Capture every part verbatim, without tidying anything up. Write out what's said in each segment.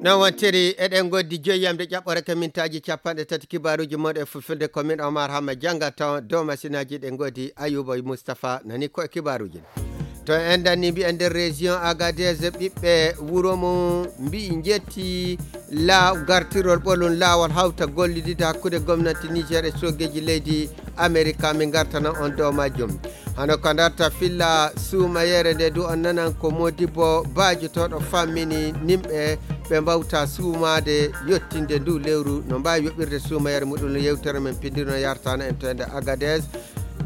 Noon wontiri, eɗen ngoodi joyi yamde ƴaɓɓore ka mintaaji capanɗe tati kibaaruuji mooɗon e fulfulde. Ko min Omar Hamma Jannga, tawa dow masinaaji ɗe ngoodi Ayuba Mustapha nani ko e kibaaruuji ɗi. To en dannii mbiyen nder région Agadez, ɓiɓɓe wuro mum mbiyi njetti la gartirol ɓolum laawol hawta gollidide hakkunde gomnati Niger e soogeeji leydi Amerika. Min ngartana on dow majjum. Hano ko ndarta filla suumayeere nde du on nanan ko Modibo Baajotooɗo fammini nimɓe ɓe mbawta suumaade yottinde ndu lewru no mbaawi yoɓirde suumayeere muɗum. Yewtere men pindirno yartana en to ende Agadez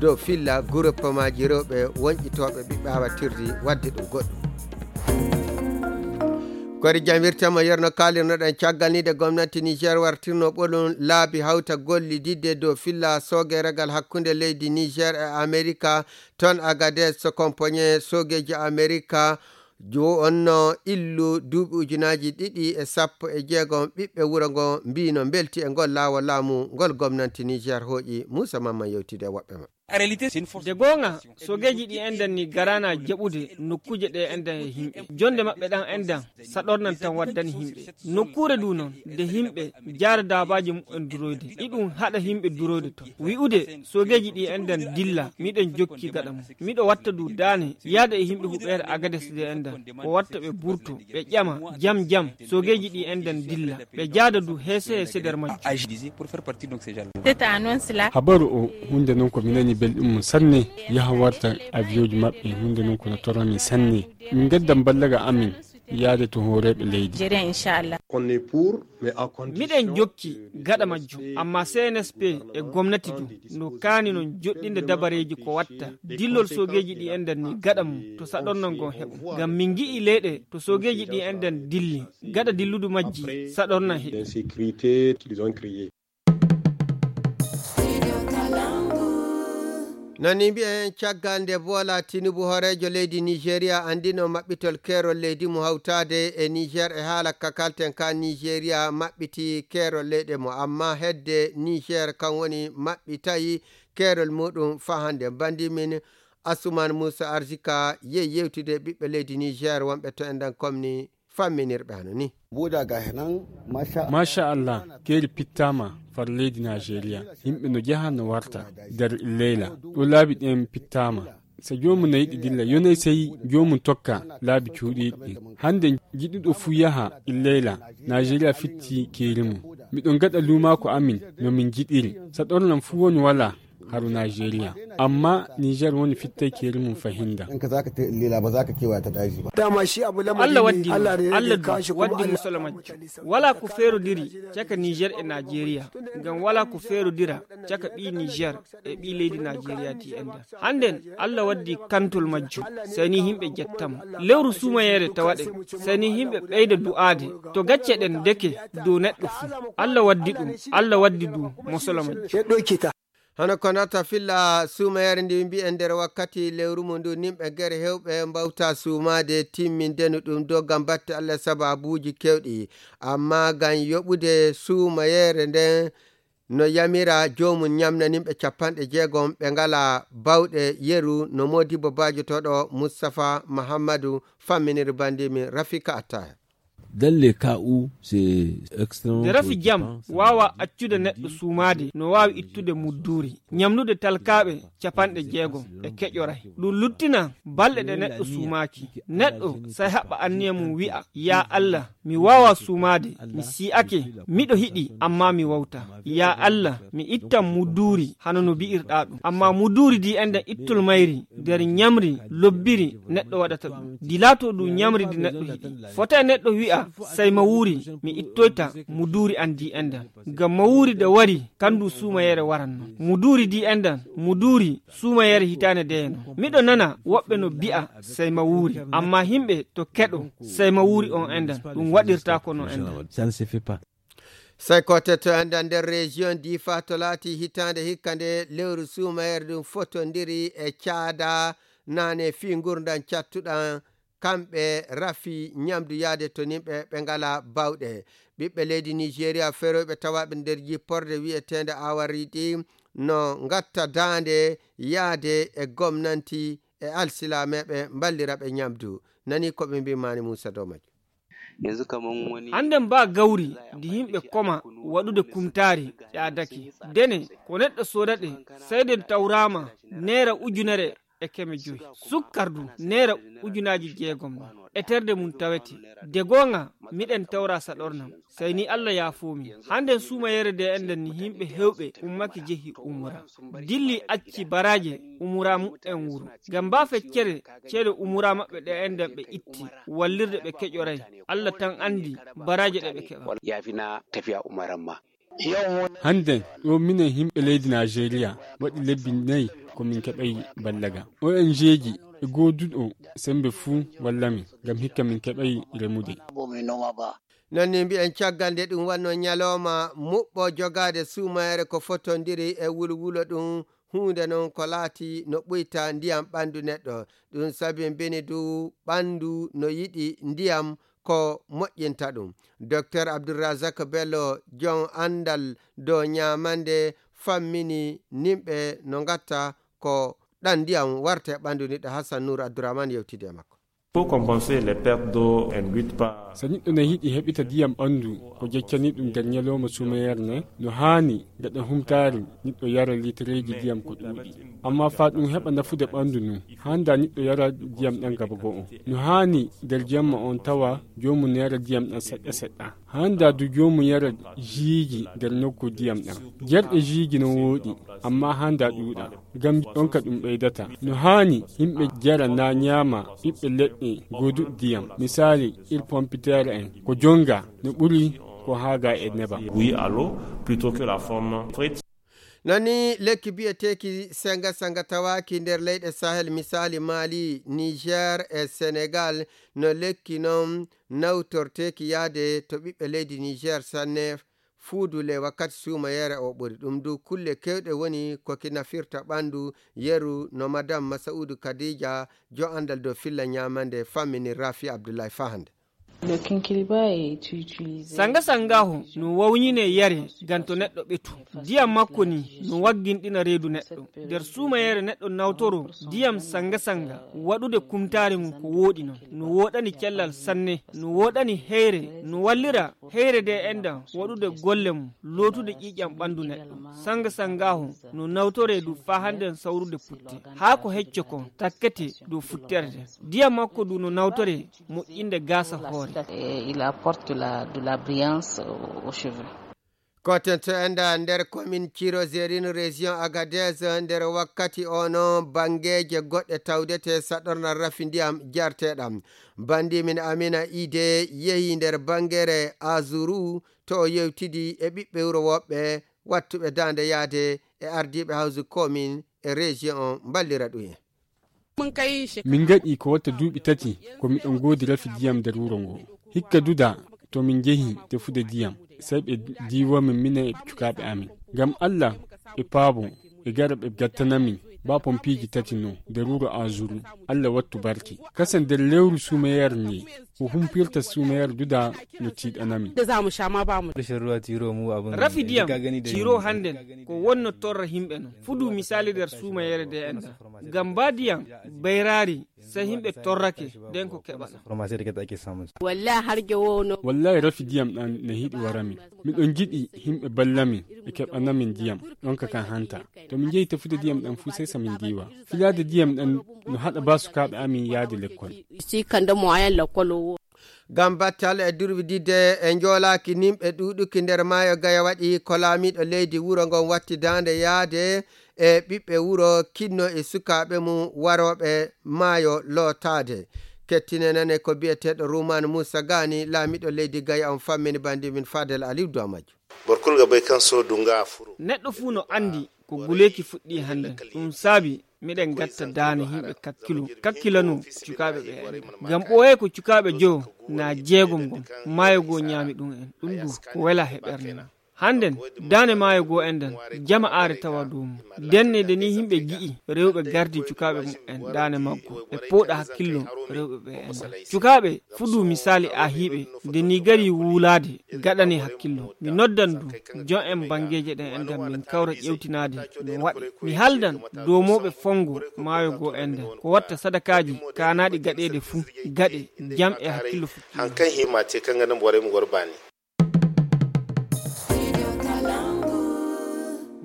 dow filla groupemaaji rewɓe wonƴitooɓe ɓiɓɓe awatirdi waɗde ɗum goɗɗum. Kori jam wirtama yerno kaalirnoɗen caggal ni de gomnati Niger wartirno ɓolum laabi hawta gollididde dow filla soogeregal hakkunde leydi Niger e Amerika. Toon Agadez so kompoñe soogeeji Amerika jo onno illu duuɓi ujunaaji ɗiɗi e sappo e jeegom ɓiɓɓe wuro ngo mbino mbelti e ngol laawol laamu ngol gomnanti Niger hooƴi. Muusa Mamman yewtide e woɓɓe maɓɓe. Nde goonga, soogeeji ɗi enɗan ni garana jaɓude nokkuuje ɗe enɗan e yimɓe. Jonde maɓɓe ɗan enɗan saɗornan tan waddani yimɓe. Nokkuure du noon, nde yimɓe jaada daabaaji muɓɓen duroyde, iɗum haɗa yimɓe duroyde toon. Wi'ude soogeeji ɗi enɗan dilla, miɗen jokki gaɗa mum. Miɗo watta du daane, yaada e yimɓe huɓeere Agades ɗe enɗan. Ko watta ɓe burto, ɓe ƴama, jam jam, soogeeji ɗi enɗan dilla. Ɓe jaada du heese heese nder majjum. Habaru o, huunde non ko mi nani belɗum mum sanne, yaha warta avion ji maɓɓe, huunde non ko no torami sanne. Min gaddan ballaga amin yaade to hooreeɓe leydi. Miɗen jokki gaɗa majjum, amma C N S P e gomnati du no kaani non joɗɗinde dabareeji ko watta dillol soogeeji ɗi enɗan ni gaɗa mum to saɗornal ngon heɓa. Ngam min ngi'i leyɗe to soogeeji ɗi enɗan dilli, gaɗa dilludu majji saɗornal heɓi. Nani mbiyen, caggal nde Bola Tinubu, hooreejo leydi Nigeria, anndino maɓɓitol keerol leydi mo hawtaade e Niger e haala ka kalten ka Nigeria maɓɓiti keerol leyɗe mo, amma hedde Niger kan woni maɓɓitayi keerol muɗum faa hannde. Bandi min Asuman Musa Arzika yehi yewtude ɓiɓɓe leydi Niger wonɓe to enɗan komni famminirɓe hano ni. Buda ga henan, masha Allah, keeri pittaama far leydi Nigeria. Yimɓe no jaha no warta nder leyla. Ɗo laabi ɗen pittaama. So joomu no yiɗi dilla, yonay sey joomu tokka laabi cuuɗiiɗi ɗin. Hannde jiɗuɗo fuu yaha leyla, Nigeria fitti keeri mum. Miɗo gaɗa luumaaku amin no min jiɗiri. Saɗorlan fuu woni walaa. Haru Nigeria. Amma Niger woni fittay keeri mum fahinda. In ka za ka ta lela ba za ka kewaya ta daji ba. Dama shi abu lamari Allah ne, waddi Allah ne Allah ya kawo shi kuma waddi Allah musolomajjo. Wala ko ferodiri caka Niger e Nigeria. Ngam wala ko ferodira caka ɓi Niger e ɓi leydi Nigeria ti enda. Handen Allah waddi kantol majjo. Sani himɓe jettamo. Lewru sumayere tawaɗe. Sani himɓe ɓeyda du'ade. To gacce ɗen deke dow neɗɗo fu. Allah waddi ɗum. Allah waddi du musolomajjo. Hano ko nata filla suumayere ndi mbi'en nder wakkati lewru mum ndu, nimɓe gere hewɓe mbawta suumaade timmindenu ɗum dow ngam batte Allah sababuuji kewɗi. Amma ngam yoɓude suumayere nden no yamira joomum ñamna nimɓe capanɗe jeegom ɓe ngala bawɗe yeru no Modibo Baajotooɗo Mustapha Mahammadu famminiri bandi min Rafika Attaya. Dans les cas où c'est extrêmement Nde rafi jam préoccupant, ça waawa accude neɗɗo suumaade, no waawi ittude mudduuri, ñamnude talkaaɓe capanɗe jeegom e keƴoray. Ɗum luttina balɗe ɗe neɗɗo suumaaki. Neɗɗo say haɓɓa anniya mum wi'a, "Yaa Allah, mi waawaa suumaade, mi si'ake, miɗo hiɗi, ammaa mi wawtaa. Yaa Allah, mi ittan mudduuri hano no bi'irɗaa ɗum." Ammaa mudduuri di enden ittol mayri nder ñamri, lobbiri, neɗɗo waɗata ɗum. Di laato ɗum ñamri di neɗɗo hiɗi. Fota e neɗɗo wi'a, "Say ma wuuri, mi ittoyta mudduuri an di enden." Ngam ma wuuri de wari, kandu suumayere waranno. Mudduuri di enden, mudduuri suumayere hitaande deyeno. Miɗo nana woɓɓe no bi'a, "Say ma wuuri." Ammaa himɓe to keɗo, "Say ma wuuri" on enden, ɗum waɗirtaako no enden. Ça ne se fait pas. Sey ko te to enda nder région Difa to laati hitaande hikka nde lewru suumayere ɗum fotondiri e caada nane fii ngurndan cattuɗan kamɓe rafi ñamdu yaade to nimɓe ɓe ngala bawɗe. Ɓiɓɓe leydi Nigeria feroyɓe tawaaɓe nder jipporde wi'eteende Awaridi no ngatta daande yaade e gomnanti e alsilameeɓe mballira ɓe ñamdu. Nani ko ɓe mbii Mani Muusa dow majjum. Hannden ba gawri ndi yimɓe koma waɗude kumtaari ƴaadake. Dene ko neɗɗo soodaɗe, sey nde tawraama neera ujunere e keme joyi. Sukkar du neera ujunaaji jeegom no. Eterde mum tawete. De goonga, miɗen tawra saɗornam. Sey ni Allah yaafoomi. Hannden suumayere de enɗen ni yimɓe hewɓe ummaki jehi umura. Dilli acci baraaje umura mu'en wuro. Ngam ba feccere ceede umura maɓɓe ɗe enɗen ɓe itti. Wallirde ɓe keƴoray. Allah tan anndi baraaje ɗe ɓe keɓa. Yaafina tafiya umaran ma. Hannden ɗo minen yimɓe leydi Najeriya waɗi lebbi nayi ko min keɓay ballaga. O N G ji e gooduɗo sembe fuu walla min ngam hikka min keɓay remude. Non ni mbi'en caggal nde ɗum wonno ñalooma muɓɓo jogaade suumayere ko fotondiri e wulwulo ɗum huunde non ko laati no ɓuyta ndiyam ɓanndu neɗɗo. Ɗum sabi mbini du ɓanndu no yiɗi ndiyam ko moƴƴinta ɗum. Docteur Abdulrazak Bello, jon anndal dow ñaamande, fammini nimɓe no ngatta ko ɗan ndiyam warta e ɓanndu niɗɗo. Hassan Nour Abdourahmane yewtidi e makko. Pour compenser les pertes d'eau induites par. So neɗɗo ne yiɗi heɓita ndiyam ɓanndu ko jeccani ɗum nder ñalooma suumayere ne, no haani gaɗa humtaari neɗɗo yara litireeji ndiyam ko ɗuuɗi. Amma faa ɗum heɓa nafude ɓanndu ndu, haanda neɗɗo yara ndiyam ɗan gaba go'o. No haani nder jemma on tawa joomum yara ndiyam ɗan seɗɗa seɗɗa. Haanda du joomum yara jiiji nder nokku ndiyam ɗan. Jerɗe jiiji no wooɗi, amma haanda ɗuuɗa. Ngam ɗonka ɗum ɓeydata. No haani yimɓe jara na ñaama ɓiɓɓe leɗɗe gooduɗe ndiyam. Misaali, ir pompiteer en ko jonga no ɓuri ko haaga e nebam. Bouillie à l'eau plutôt que la forme frite. Non ni lekki biyeteeki senga senga tawaaki nder leyɗe Sahel, misaali Mali, Niger e Senegal. No lekki non nawtorteeki yaade to ɓiɓɓe leydi Niger sanne. Fuudu le wakkati suumayere o ɓuri. Ɗum du kulle kewɗe woni ko ki nafirta ɓandu yeru no Madame Masaudu Khadija, jo andal dow filla ñamande, fammini Rafi Abdullahi Fahande. Le kinkiliba est utilisé. Sanga sangaho no wawñine yare ganto neɗɗo ɓetu. Ndiyam makko ni no wagginɗina reedu neɗɗo. Nder suumayere neɗɗo nawtoro ndiyam sanga sanga waɗude kumtaare mum ko wooɗi non. No wooɗani cellal sanne, no wooɗani heyre, no wallira heyre de enɗam waɗude golle mum, lootude ƴiiƴam ɓandu neɗɗo. Sanga sangaho no nawtore du faa hannden sawrude putte. Haa ko hecco kon takkete dow futterde. Ndiyam makko du no nawtore moƴƴinde gaasa hoore. Et il apporte de la, de la brillance aux, aux cheveux. Koten to enda nder komin Ciro Zerin, région Agadez, nder wakkati ono bangeeje goɗɗe tawdete saɗorna rafi ndiyam jarteɗam. Bandi min Amina Ide yehi nder bangere Azuru to o yewtidi e ɓiɓɓe wuro woɓɓe wattuɓe daande yaade e ardiiɓe hawsu komin e région on mballira ɗum en. Min ngaɗi ko watta duuɓi tati ko miɗon ngoodi rafi diyam nder wuro ngo. Hikka duda to min njehi tefude diyam, sey ɓe diiwa min minen e cukaaɓe amin. Ngam Allah e paabo e gara ɓe gattana min ba pompiiji tati no nder wuro Azuru. Allah wattu barke. Kasa nder lewru suumayere nde ko humpirta suumayere duda no tiiɗana min. Rafi diyam ciro hannden ko wonno torra himɓe non. Fudu misali nder suumayere de enda. Ngam ba diyam bayraari, sey himɓe torrake den ko keɓata. Wallahi har jowo no. Wallahi rafi diyam ɗan ne hiɗi wara min. Miɗon jiɗi himɓe balla min e keɓana min diyam ɗonka kan hanta. To min jehi tefude diyam ɗan fu sey sa min diwa. Filaade diyam ɗan no haɗa ba sukaaɓe amin yaade lekkol. Si kanda moyen lekkol o. Ngam battal e durwididde e njoolaaki nimɓe ɗuuɗuki nder maayo Gaya waɗi ko laamiiɗo leydi wuro ngon watti daande yaade e ɓiɓɓe wuro kinno e sukaaɓe mum warooɓe maayo lootaade. Kettine nane ko biyeteeɗo Ruman Musa Gani, laamiiɗo leydi Gaya on fammini bandi min Fadel Aliou Dow majjum. Borkulga bay kan so dunga furo. Neɗɗo fuu no anndi ko guleeki fuɗɗi hannde. Ɗum saabi miɗen gatta daane yimɓe kakkilo, kakkilano cukaaɓe ɓe andi. Ngam ɓooye ko cukaaɓe jo na jeegom ngon, maayo goo ñaami ɗum en. Ɗum du ko wela he ɓernde na. Hannden, daane maayo goo enɗan, jama aare tawa dow mum. Ndenne nde nii yimɓe ngi'i rewɓe gardi cukaaɓe muɓɓen daane maggo, ɓe pooɗa hakkillo rewɓe ɓe enɗan. Cukaaɓe, fuɗu misaali aahiiɓe, nde nii gari wuulaade, gaɗane hakkillo. Mi noddan du, jon en banngeeje ɗen enɗan min kawra ƴewtinaade no waɗi. Mi haldan dow mooɓe fonngo maayo goo enɗan, ko watta sadakaaji kaanaaɗi gaɗeede fuu, gaɗe, jam e hakkillo fuɗɗii. Hankan hima te kan ganin borai mu gwarba ne.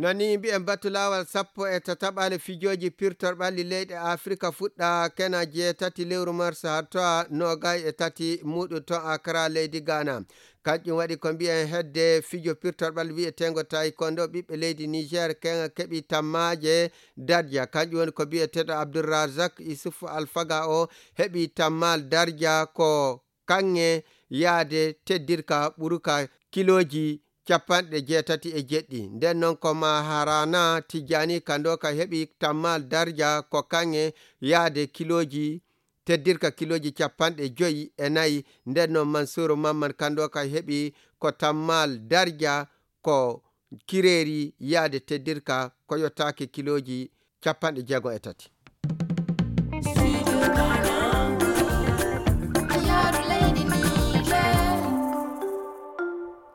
Nani mbi'en batu laawol sappo e tataɓale fijooji pirtorɓalli leyɗe Afrika fuɗɗa kena jeetati lewru mars haa to'a noogay e tati muɗum to Accra leydi Ghana. Kanƴum waɗi ko mbi'en hedde fijo pirtorɓalli wi'eteengo taekwondo ɓiɓɓe leydi Niger kena keɓi tammaaje darja. Kanƴum woni ko mbi'eteeɗo Abdulrazak Isuf Alfaga o heɓi tammaal darja ko kaŋŋe yaade teddirka ɓuruka kilooji capanɗe jeetati e jeɗɗi. Nden noon ko Maharana Tijjani Kandoka heɓi tammaal darja ko kaŋŋe yaade kilooji teddirka kilooji capanɗe joyi e nayi. Nden noon Mansuuru Mamman Kandoka heɓi ko tammaal darja ko kireeri yaade teddirka ko yottaaki kilooji capanɗe jeego e tati.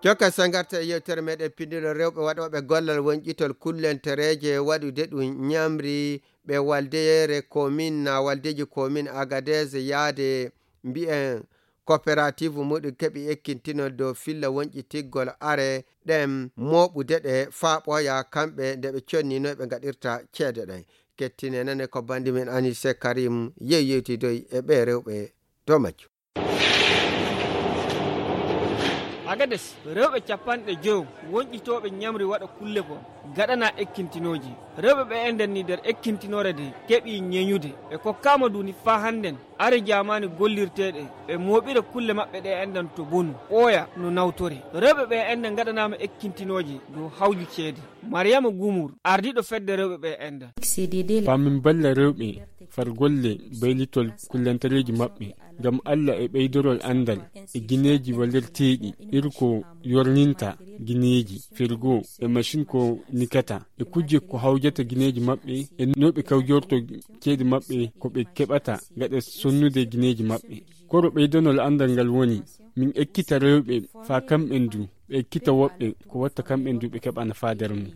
Jokka sangarta e yewtere meɗen pindiro rewɓe waɗooɓe gollal wonƴitol kullentereeje waɗude ɗum ñamri ɓe waldeyeere komin na waldeji komin Agadez yaade mbi'en coopérative muɗum keɓi ekkintinol dow filla wonƴitigol are ɗen mooɓude ɗe faa ɓooya kamɓe nde ɓe connino ɓe ngaɗirta ceede ɗen. Kettine nane ko bandi men Anise Karim yew yewtidoy e ɓe rewɓe dow majjum. Agades, rewɓe capanɗe joyo wonƴitooɓe ñamri waɗa kulle ko gaɗana ekkintinooji. Rewɓe ɓe enɗan ni nder ekkintinoore de keɓi ñeñude. Ɓe kokkaama duni faa hannden are jaamaani gollirteeɗe, ɓe mooɓira kulle maɓɓe ɗe enɗan to bonu, ɓooya no nawtore. Rewɓe ɓe enɗan ngaɗanaama ekkintinooje dow hawju ceede. Mariyama Gumur, ardiiɗo fedde rewɓe ɓe enɗan. Faa min balla rewɓe far golle baylitol kullantareeji maɓɓe, ngam Alla e ɓeydorol anndal e gineeji wallirteeɗi, iri ko yorninta gineeji, firgo e macin ko nikata, e kujje ko hawjata gineeji maɓɓe, e no ɓe kawjorto ceede maɓɓe ko ɓe keɓata gaɗa sonnude gineeji maɓɓe. Koro ɓeydanol anndal ngal woni, min ekkita rewɓe faa kamɓen du, ɓe ekkita woɓɓe ko watta kamɓen du ɓe keɓa nafaa nder mum.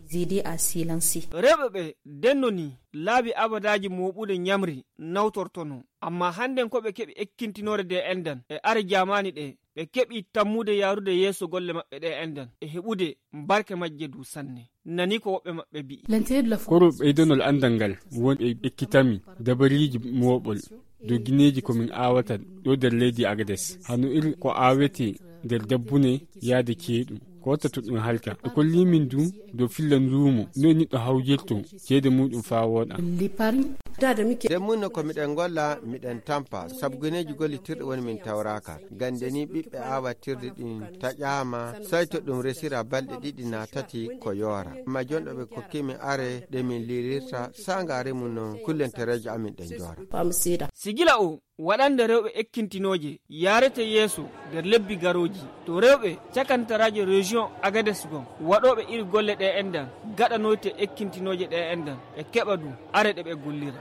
Rewɓe ɓe ndennonii laabi abadaaji mooɓude ñamri nawtortonoo, ammaa hannden ko ɓe keɓi ekkintinoore de enɗan e are jaamaani ɗe, ɓe keɓi tammude yaarude yeeso golle maɓɓe ɗe enɗan e heɓude barke majje du sanne. Nani ko woɓɓe maɓɓe mbi'i. Koro ɓeydanol anndal ngal woni ɓe ekkitami dabariiji mooɓol dow gineeji ko min aawata ɗo nder leydi Agades. Hano iri ko aawete nder dabbune yaade ceeɗu. Ko watta to ɗum halka. Ɓe kolli min du dow filla nduumo, noy neɗɗo hawjirto ceede muɗum faa wooɗa. Nden mun no ko miɗen golla, miɗen tampa, sabu gineeji gollitirɗi woni min tawraaka. Gande ni ɓiɓɓe aawatirɗi ɗin taƴaama, sey to ɗum resira balɗe ɗiɗi naa tati ko yoora. Amma jonɗo ɓe kokkimi are ɗe min liilirta, saanga remu no kullentereeje amin ɗen joora. Sigila o waɗande rewɓe ekkintinooje yaarete yeeso nder lebbi garooji. To rewɓe cakantaraaje région Agadez gon waɗooɓe iri golle ɗe enɗan, gaɗanoyte ekkintinooje ɗe enɗan, ɓe keɓa du are ɗe ɓe gollira.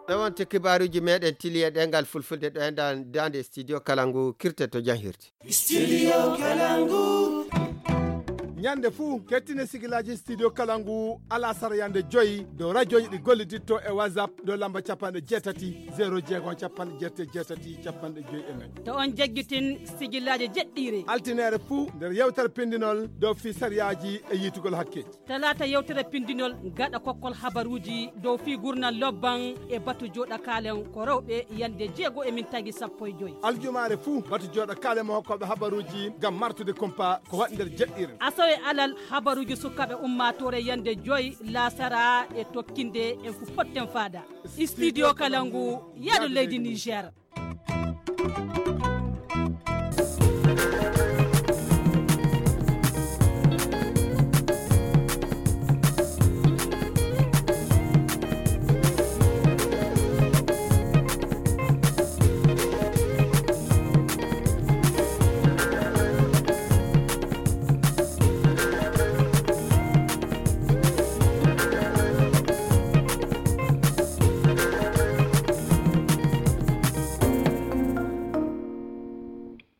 Ɗo wonti kibaaruuji meɗen tili e ɗengal fulfulde ɗo enɗan daande studio kala ngu kirte to janhirde. Studio Kalangu. Ñande fuu, kettine sigilaaji Studio Kalangu, alasara yande joyi, dow rajooji ɗi golliditto e WhatsApp, dow lamba capanɗe jeetati, zero jeegom, capanɗe jeetati, capanɗe joyi e nayi. To on jaggitin sigilaaji jeɗɗiire. Altineere fuu, nder yewtere pindinol, dow fii sariyaaji e yiitugol hakkeeji. Talaata yewtere pindinol gaɗa kokkol habaruuji dow fii gurnal lobban e batu jooɗa kaalen ko rewɓe yande jeego e min tagi sappo e joy. Aljumaare fuu batu jooɗa kaalen mo hokkooɓe habaruuji ngam martude kumpa ko waɗi nder jeɗɗiire. Asawe alal habaruuji sukaaɓe ummaatoore yande joy laasara e tokkinde en fu potten faada. Studio Kalangu, yaadu leydi Niger.